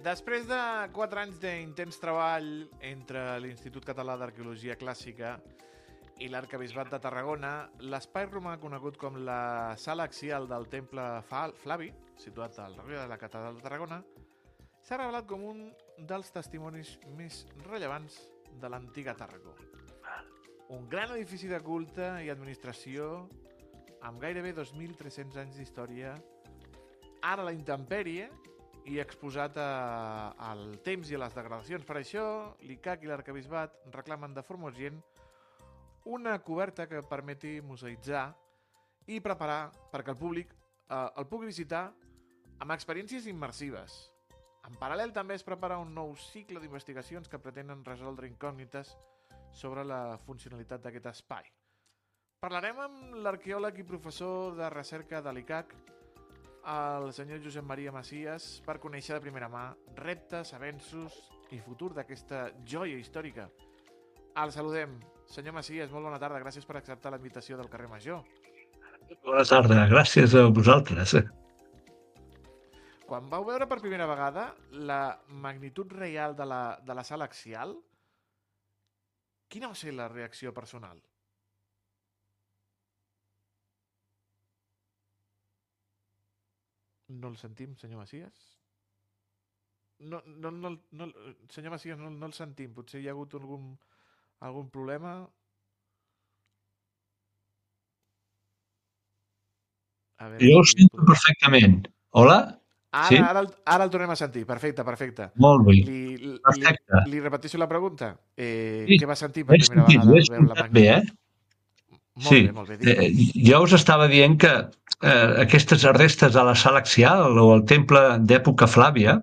Després de 4 anys d'intens treball entre l'Institut Català d'Arqueologia Clàssica i l'Arquebisbat de Tarragona, l'espai romà conegut com la Sala Axial del Temple Flavi, situat al darrere de la Catedral de Tarragona, s'ha revelat com un dels testimonis més rellevants de l'antiga Tàrraco. Un gran edifici de culte i administració amb gairebé 2.300 anys d'història, ara a la intempèrie i exposat al temps i a les degradacions. Per això, l'ICAC i l'Arquebisbat reclamen de forma urgent una coberta que permeti museïtzar i preparar perquè el públic el pugui visitar amb experiències immersives. En paral·lel també es prepara un nou cicle d'investigacions que pretenen resoldre incògnites sobre la funcionalitat d'aquest espai. Parlarem amb l'arqueòleg i professor de recerca de l'ICAC, el senyor Josep Maria Macias, per conèixer de primera mà reptes, avenços i futur d'aquesta joia històrica. El saludem. Senyor Macias, molt bona tarda. Gràcies per acceptar la invitació del carrer Major. Bona tarda. Gràcies a vosaltres. Quan vau veure per primera vegada la magnitud real de la sala axial, quina va ser la reacció personal? No el sentim, senyor Macias? Senyor Macias, no el sentim. Potser hi ha hagut algun problema? Jo ho sento perfectament. Hola? Sí? Ara el tornem a sentir. Perfecte. Molt bé. Perfecte. Li repeteixo la pregunta. Sí, Què va sentir per primera vegada al veure la magnitud? Molt bé. Jo us estava dient que aquestes restes de la sala axial o el temple d'època Flàvia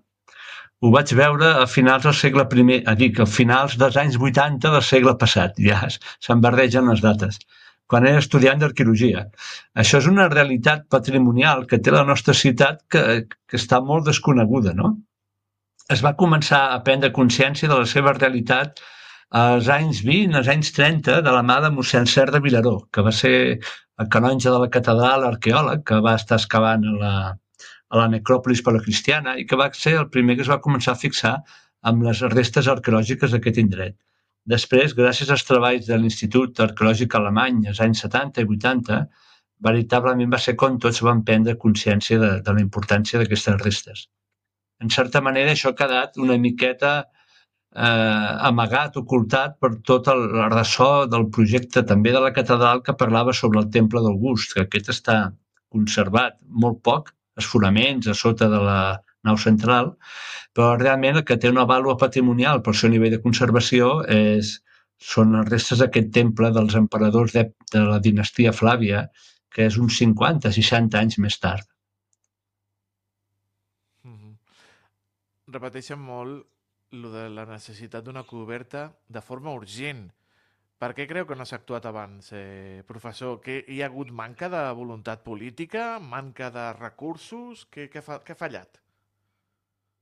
ho vaig veure a finals del segle I, a finals dels anys 80 del segle passat. Ja se'n barregen les dates, quan era estudiant d'arqueologia. Això és una realitat patrimonial que té la nostra ciutat que està molt desconeguda, no? Es va començar a prendre consciència de la seva realitat als anys 20, als anys 30, de la mà de mossèn Cerc de Vilaró, que va ser el canonge de la catedral, arqueòleg, que va estar excavant a la necròpolis paleocristiana i que va ser el primer que es va començar a fixar amb les restes arqueològiques d'aquest indret. Després, gràcies als treballs de l'Institut Arqueològic Alemany als anys 70 i 80, veritablement va ser quan tots van prendre consciència de la importància d'aquestes restes. En certa manera, això ha quedat una miqueta amagat, ocultat per tot el ressò del projecte també de la catedral que parlava sobre el temple d'August, que aquest està conservat molt poc, els fonaments a sota de la nau central, però realment el que té una vàlua patrimonial pel seu nivell de conservació són les restes d'aquest temple dels emperadors de la dinastia Flàvia, que és uns 50-60 anys més tard. Repeteixen molt lo de la necessitat d'una coberta de forma urgent. Per què creu que no s'ha actuat abans, professor? Que hi ha hagut manca de voluntat política, manca de recursos? Què ha fallat?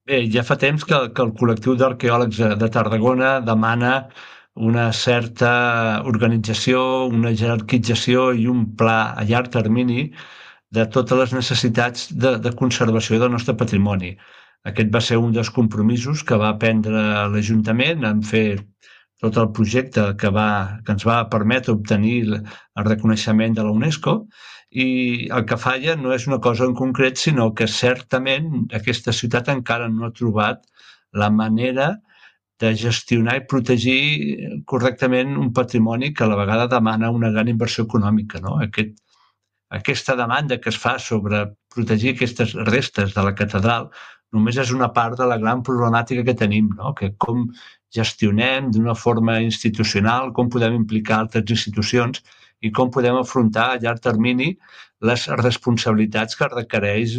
Bé, ja fa temps que el col·lectiu d'arqueòlegs de Tarragona demana una certa organització, una jerarquització i un pla a llarg termini de totes les necessitats de conservació del nostre patrimoni. Aquest va ser un dels compromisos que va prendre l'Ajuntament en fer tot el projecte que ens va permetre obtenir el reconeixement de la UNESCO, i el que falla no és una cosa en concret, sinó que certament aquesta ciutat encara no ha trobat la manera de gestionar i protegir correctament un patrimoni que a la vegada demana una gran inversió econòmica, no? Aquesta demanda que es fa sobre protegir aquestes restes de la catedral només és una part de la gran problemàtica que tenim, no? Que com gestionem d'una forma institucional, com podem implicar altres institucions i com podem afrontar a llarg termini les responsabilitats que requereix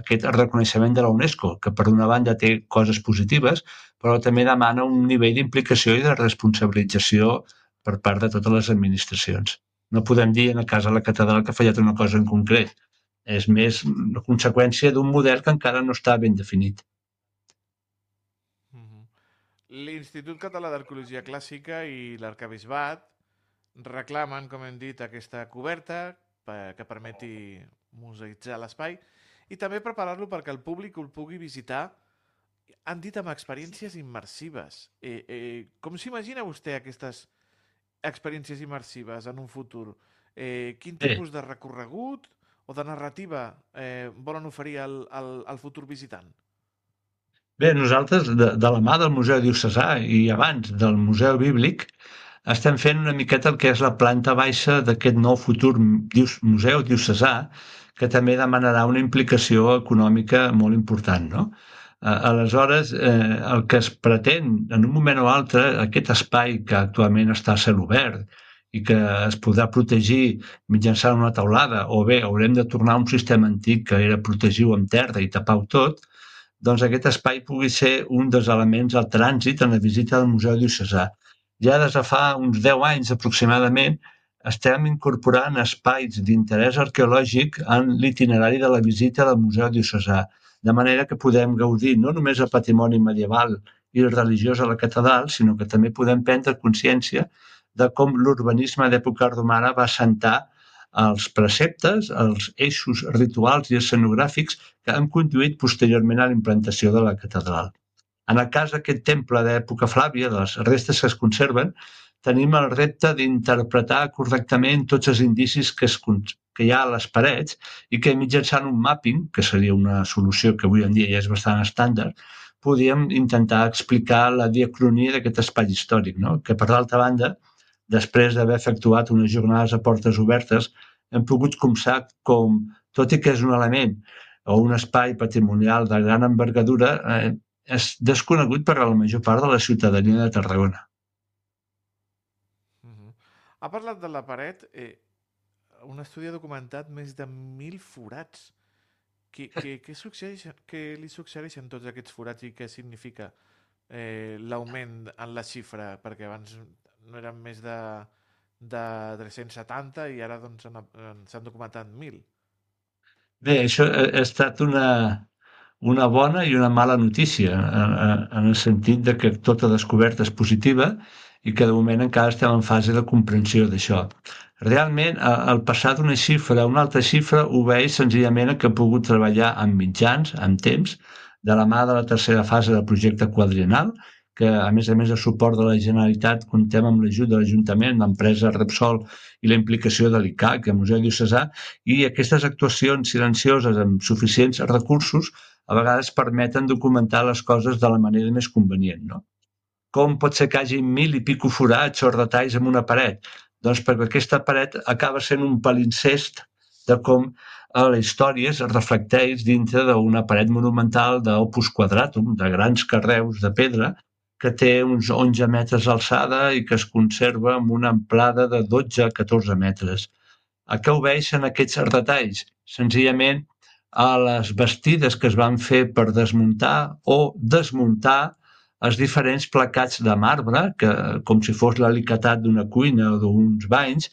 aquest reconeixement de la UNESCO, que per una banda té coses positives, però també demana un nivell d'implicació i de responsabilització per part de totes les administracions. No podem dir en el cas de la catedral que ha fallat una cosa en concret. És més una conseqüència d'un model que encara no està ben definit. L'Institut Català d'Arqueologia Clàssica i l'Arquebisbat reclamen, com hem dit, aquesta coberta que permeti museïtzar l'espai i també preparar-lo perquè el públic el pugui visitar han dit amb experiències immersives. Com s'imagina vostè aquestes experiències immersives en un futur? Quin Bé, tipus de recorregut o de narrativa volen oferir al futur visitant? Bé, nosaltres, de la mà del Museu Diocesà i abans del Museu Bíblic, estem fent una miqueta el que és la planta baixa d'aquest nou futur museu diocesà, que també demanarà una implicació econòmica molt important, no? Aleshores, el que es pretén, en un moment o altre, aquest espai que actualment està a cel obert i que es podrà protegir mitjançant una teulada, o bé haurem de tornar a un sistema antic que era protegir-ho amb terra i tapar-ho tot, doncs aquest espai pugui ser un dels elements al trànsit en la visita al Museu Diocesà. Ja des de fa uns 10 anys aproximadament estem incorporant espais d'interès arqueològic en l'itinerari de la visita del Museu Diocesà, de manera que podem gaudir no només del patrimoni medieval i religiós a la catedral, sinó que també podem prendre consciència de com l'urbanisme d'època romana va assentar els preceptes, els eixos rituals i escenogràfics que han conduït posteriorment a la implantació de la catedral. En el cas d'aquest temple d'època Flàvia, de les restes que es conserven, tenim el repte d'interpretar correctament tots els indicis que hi ha a les parets i que mitjançant un mapping, que seria una solució que avui en dia ja és bastant estàndard, podíem intentar explicar la diacronia d'aquest espai històric, no? Que per l'altra banda, després d'haver efectuat unes jornades a portes obertes, hem pogut copsar com, tot i que és un element o un espai patrimonial de gran envergadura, és desconegut per a la major part de la ciutadania de Tarragona. Ha parlat de la paret. Un estudi ha documentat més de 1.000 forats. Què li succeeixen tots aquests forats i què significa l'augment en la xifra? Perquè abans no eren més de 370 i ara doncs, s'han documentat 1.000. Bé, això ha estat una bona i una mala notícia, en el sentit de que tota descoberta és positiva i que de moment encara estem en fase de comprensió d'això. Realment, el passar d'una xifra a una altra xifra obeeix senzillament a que he pogut treballar amb mitjans, amb temps, de la mà de la tercera fase del projecte quadriennal, que a més de suport de la Generalitat comptem amb l'ajut de l'Ajuntament, l'empresa Repsol i la implicació de l'ICAC, el Museu Diocesà, i aquestes actuacions silencioses amb suficients recursos a vegades permeten documentar les coses de la manera més convenient, no? Com pot ser que hi hagi 1.000 i pico forats o retalls en una paret? Doncs perquè aquesta paret acaba sent un palincest de com la història es reflecteix dintre d'una paret monumental d'opus quadratum, de grans carreus de pedra, que té uns 11 metres d'alçada i que es conserva amb una amplada de 12 a 14 metres. A què obeeixen aquests retalls? Senzillament a les bastides que es van fer per desmuntar o desmuntar els diferents placats de marbre que, com si fos l'alicatat d'una cuina o d'uns banys,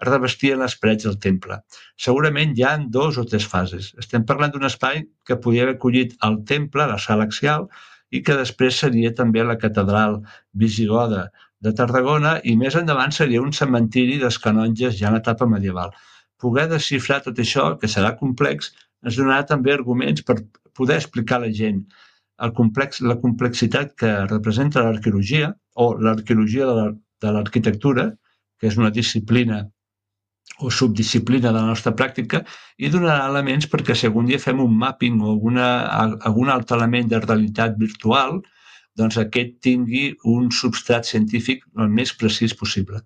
revestien les parets del temple. Segurament hi ha 2 o 3 fases. Estem parlant d'un espai que podia haver acollit el temple, la sala axial, i que després seria també la catedral visigoda de Tarragona i més endavant seria un cementiri dels canonges ja en etapa medieval. Poder desxifrar tot això, que serà complex, ens donarà també arguments per poder explicar a la gent la complexitat que representa l'arqueologia o l'arqueologia de l'arquitectura, que és una disciplina o subdisciplina de la nostra pràctica, i donarà elements perquè si algun dia fem un mapping o algun altre element de realitat virtual, doncs aquest tingui un substrat científic el més precís possible.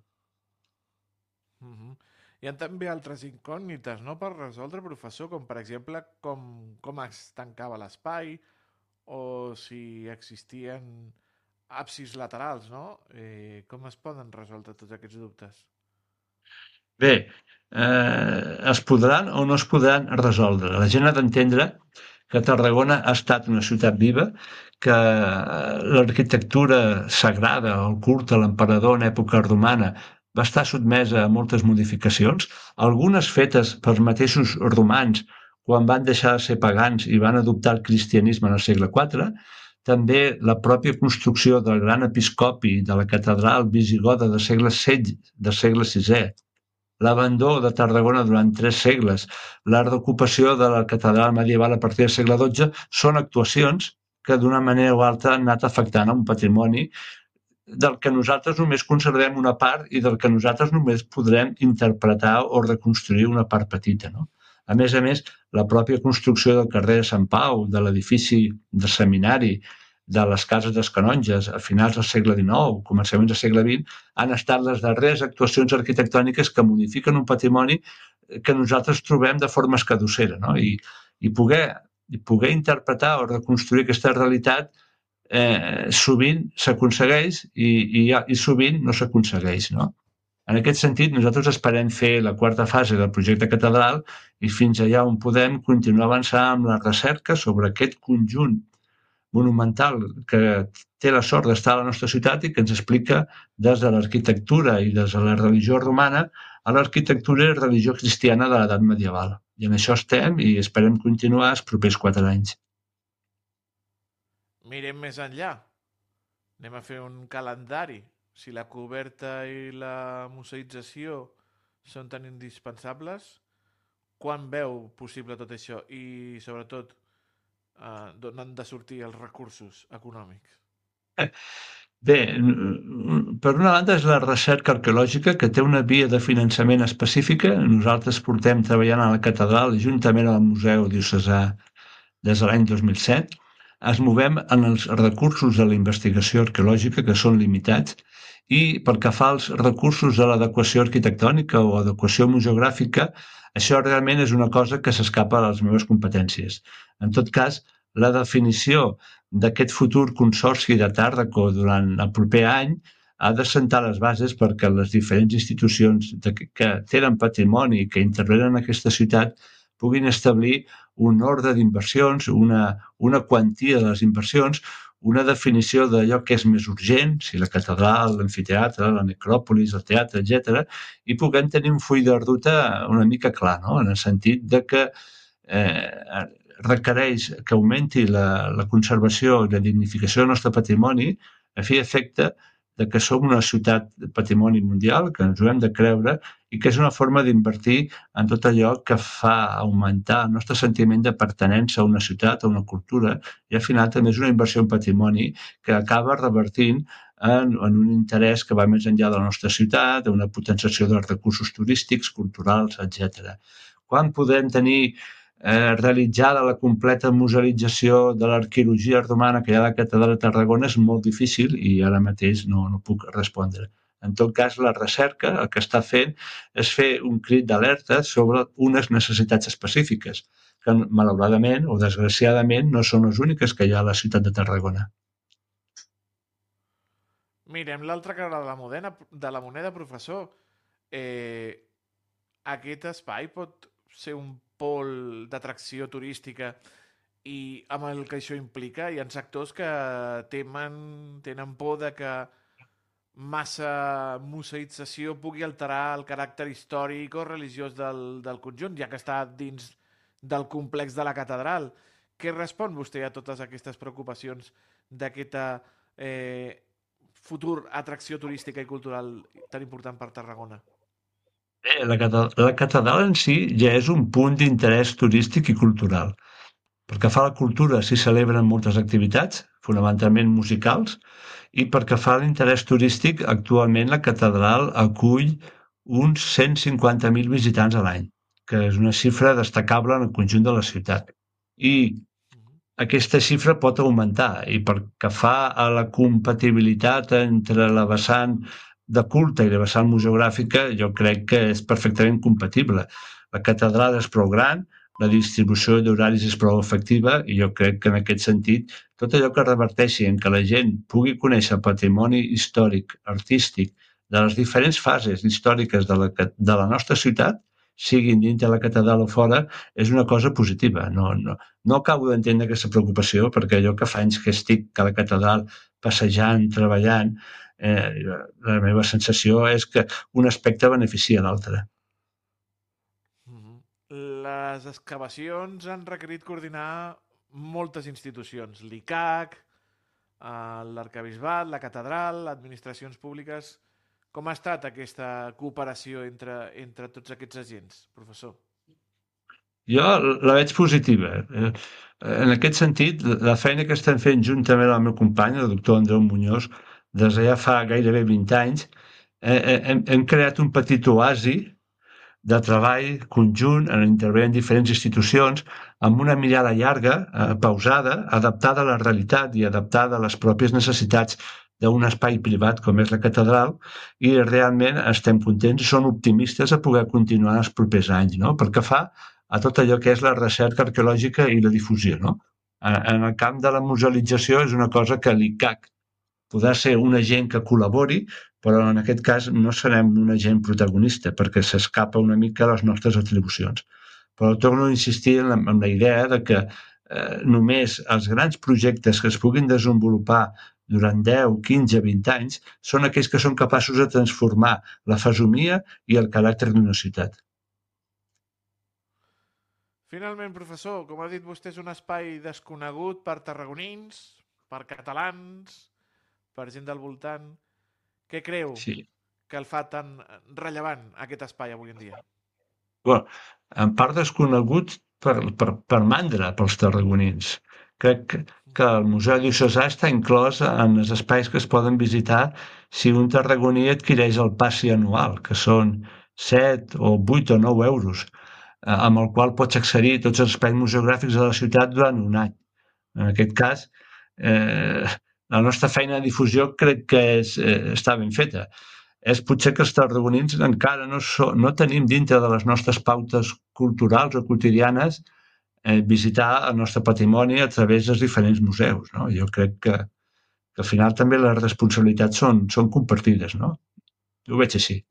Hi ha també altres incògnites, no?, per resoldre, professor, com per exemple com es tancava l'espai o si existien absis laterals, no? Com es poden resoldre tots aquests dubtes? Bé, es podran o no es podran resoldre. La gent ha d'entendre que Tarragona ha estat una ciutat viva, que l'arquitectura sagrada, el culte a l'emperador en època romana, va estar sotmesa a moltes modificacions, algunes fetes pels mateixos romans quan van deixar de ser pagans i van adoptar el cristianisme en el segle IV, també la pròpia construcció del gran episcopi de la catedral visigoda del segle VI, l'abandó de Tarragona durant 3 segles, la reocupació de la catedral medieval a partir del segle XII, són actuacions que d'una manera o altra han anat afectant un patrimoni del que nosaltres només conservem una part i del que nosaltres només podrem interpretar o reconstruir una part petita, no? A més, la pròpia construcció del carrer de Sant Pau, de l'edifici de seminari, de les cases dels canonges a finals del segle XIX, començaments del segle XX, han estat les darreres actuacions arquitectòniques que modifiquen un patrimoni que nosaltres trobem de forma escadussera, no? I poder interpretar o reconstruir aquesta realitat sovint s'aconsegueix i sovint no s'aconsegueix, no? En aquest sentit, nosaltres esperem fer la quarta fase del projecte catedral i fins allà on podem continuar avançant amb la recerca sobre aquest conjunt monumental que té la sort d'estar a la nostra ciutat i que ens explica des de l'arquitectura i des de la religió romana a l'arquitectura i religió cristiana de l'edat medieval. I en això estem i esperem continuar els propers 4 anys. Mirem més enllà. Anem a fer un calendari. Si la coberta i la museïtzació són tan indispensables, quan veu possible tot això? I, sobretot, d'on han de sortir els recursos econòmics? Bé, per una banda és la recerca arqueològica que té una via de finançament específica. Nosaltres portem treballant a la catedral juntament al Museu Diocesà des de l'any 2007. Es movem en els recursos de la investigació arqueològica, que són limitats, i pel que fa als recursos de l'adequació arquitectònica o adequació museogràfica, això realment és una cosa que s'escapa a les meves competències. En tot cas, la definició d'aquest futur consorci de Tàrraco durant el proper any ha de sentar les bases perquè les diferents institucions que tenen patrimoni i que intervenen en aquesta ciutat puguin establir un ordre d'inversions, una quantia de les inversions, una definició d'allò que és més urgent, si la catedral, l'amfiteatre, la necròpolis, el teatre, etc., i puguem tenir un full de ruta una mica clar, no? En el sentit de que requereix que augmenti la conservació i la dignificació del nostre patrimoni a fi i efecte de que som una ciutat de patrimoni mundial, que ens ho hem de creure i que és una forma d'invertir en tot allò que fa augmentar el nostre sentiment de pertinença a una ciutat, a una cultura, i al final també és una inversió en patrimoni que acaba revertint en un interès que va més enllà de la nostra ciutat, una potenciació dels recursos turístics, culturals, etc. Quan podem tenir realitzada la completa musealització de l'arqueologia romana que hi ha a la catedral de Tarragona és molt difícil i ara mateix no puc respondre. En tot cas, la recerca el que està fent és fer un crit d'alerta sobre unes necessitats específiques que, malauradament o desgraciadament, no són les úniques que hi ha a la ciutat de Tarragona. Mirem l'altra cara de la moneda, professor. Aquest espai pot ser un pol d'atracció turística i amb el que això implica hi ha sectors que tenen por de que massa museïtzació pugui alterar el caràcter històric o religiós del conjunt, ja que està dins del complex de la catedral. Què respon vostè a totes aquestes preocupacions d'aquesta futur atracció turística i cultural tan important per Tarragona? La catedral en si ja és un punt d'interès turístic i cultural. Pel que fa a la cultura, s'hi celebren moltes activitats, fonamentalment musicals, i pel que fa a l'interès turístic, actualment la catedral acull uns 150.000 visitants a l'any, que és una xifra destacable en el conjunt de la ciutat. I aquesta xifra pot augmentar, i pel que fa a la compatibilitat entre la vessant de culte i la vessant museogràfica, jo crec que és perfectament compatible. La catedral és prou gran, la distribució d'horaris és prou efectiva i jo crec que en aquest sentit tot allò que reverteixi en que la gent pugui conèixer el patrimoni històric, artístic, de les diferents fases històriques de la nostra ciutat, siguin dins de la catedral o fora, és una cosa positiva. No acabo d'entendre aquesta preocupació perquè jo que fa anys que estic a la catedral passejant, treballant, la meva sensació és que un aspecte beneficia l'altre. Les excavacions han requerit coordinar moltes institucions, l'ICAC, l'arcabisbat, la catedral, administracions públiques. Com ha estat aquesta cooperació entre tots aquests agents, professor? Jo la veig positiva. En aquest sentit, la feina que estem fent juntament amb el meu company, el doctor Andreu Muñoz, des de ja fa gairebé 20 anys, hem creat un petit oasi de treball conjunt en intervenir en diferents institucions amb una mirada llarga, pausada, adaptada a la realitat i adaptada a les pròpies necessitats d'un espai privat com és la catedral, i realment estem contents i som optimistes a poder continuar en els propers anys, no? Pel que fa a tot allò que és la recerca arqueològica i la difusió, no? En el camp de la musealització és una cosa que l'ICAC podrà ser un agent que col·labori, però en aquest cas no serem un agent protagonista perquè s'escapa una mica a les nostres atribucions. Però torno a insistir en la idea de que només els grans projectes que es puguin desenvolupar durant 10, 15, 20 anys són aquells que són capaços de transformar la fesomia i el caràcter d'una ciutat. Finalment, professor, com ha dit vostè, és un espai desconegut per tarragonins, per catalans, per gent del voltant. Què creu Sí. que el fa tan rellevant aquest espai avui en dia? Bueno, en part desconegut per mandra pels tarragonins. Crec que el Museu Diocesà està inclòs en els espais que es poden visitar si un tarragoní adquireix el passi anual, que són 7 o 8 o 9 euros, amb el qual pots accedir a tots els espais museogràfics de la ciutat durant un any. En aquest cas, la nostra feina de difusió crec que està ben feta. És potser que els tarragonins encara no tenim dintre de les nostres pautes culturals o quotidianes visitar el nostre patrimoni a través dels diferents museus. No? Jo crec que al final també les responsabilitats són compartides. No? Jo ho veig així.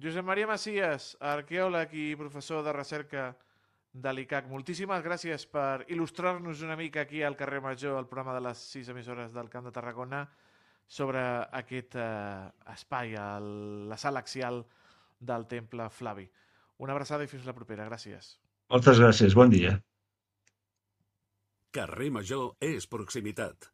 Josep Maria Macias, arqueòleg i professor de recerca de l'ICAC, moltíssimes gràcies per il·lustrar-nos una mica aquí al carrer Major, el programa de les 6 emissores del Camp de Tarragona, sobre aquest espai, la sala axial del Temple Flavi. Una abraçada i fins la propera. Gràcies. Moltes gràcies. Bon dia. Carrer Major és proximitat.